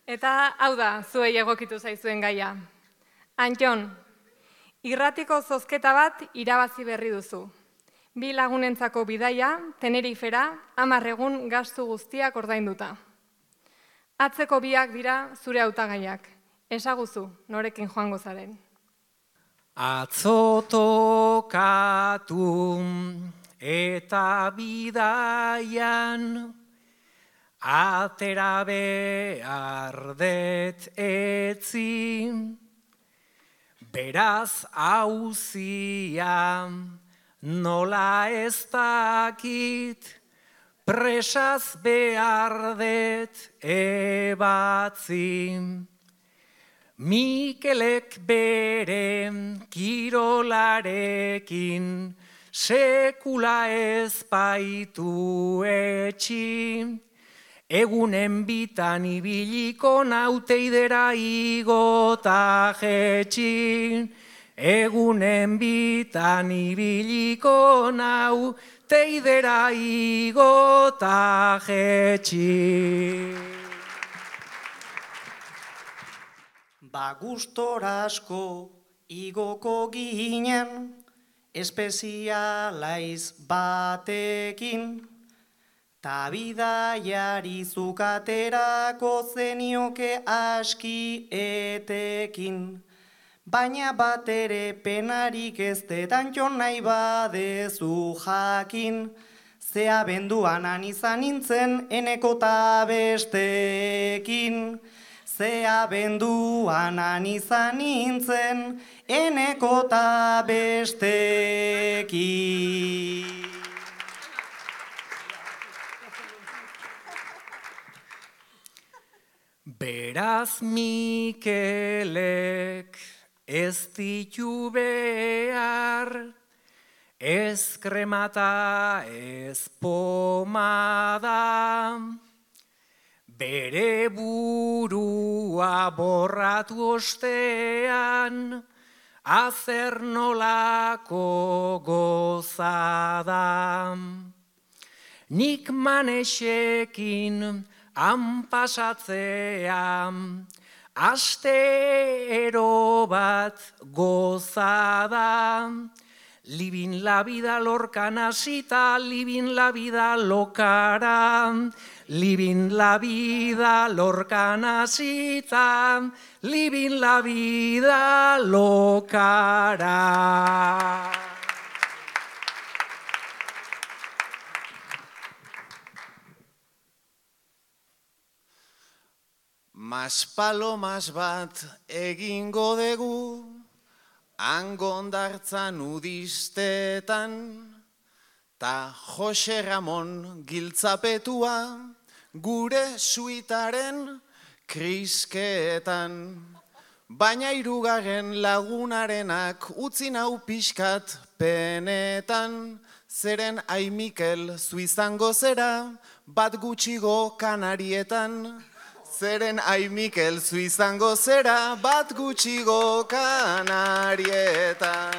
Eta hau da, zuei egokitu zaizuen gaia. Antton, irratiko zozketa bat irabazi berri duzu. 2 lagunentzako bidaia, Tenerifera, 10 egun gastu guztiak ordainduta. Atzeko biak dira zure hautagaiak. Esaguzu, norekin joango zaren. Atzo tokatu eta bidaian atera behar det etzi, beraz hauzia nola ez dakit, presaz behar det ebatzi. Mikelek bere kirolarekin sekula ez baitu etxi, egunen bitan ibiliko nauteidera igota jetxi, egunen bitan ibiliko nauteidera igota jetxi. Gustora asko igoko ginen, espezialaiz batekin, ta bidaiari zukaterako zenioke aski etekin. Baina bat ere penarik ez Antton nahi badezu jakin, ze abenduan izan nintzen eneko ta bestekin. Ze abenduan izan nintzen eneko ta bestekin. Beraz Mikelek ez ditu behar, ez kremata ez pomada, bere burua borratu ostean, azer nolako gozada. Nik Manexekin han pasatzean, astero bat gozada. Libin la vida lorkan hasita, libin la vida lokara. Libin la vida lorkan hasita, libin la vida lokara. Maspalomas bat egingo dugu, hangondartzan udistetan, ta Jose Ramon giltzapetua gure suitaren krisketan. Baina 3. lagunarenak utzi nau pixkat penetan, zeren ai Mikel zu izango zera bat gutxigo Kanarietan. Zeren ai Mikel zu izango zera bat gutxigo Kanarietan.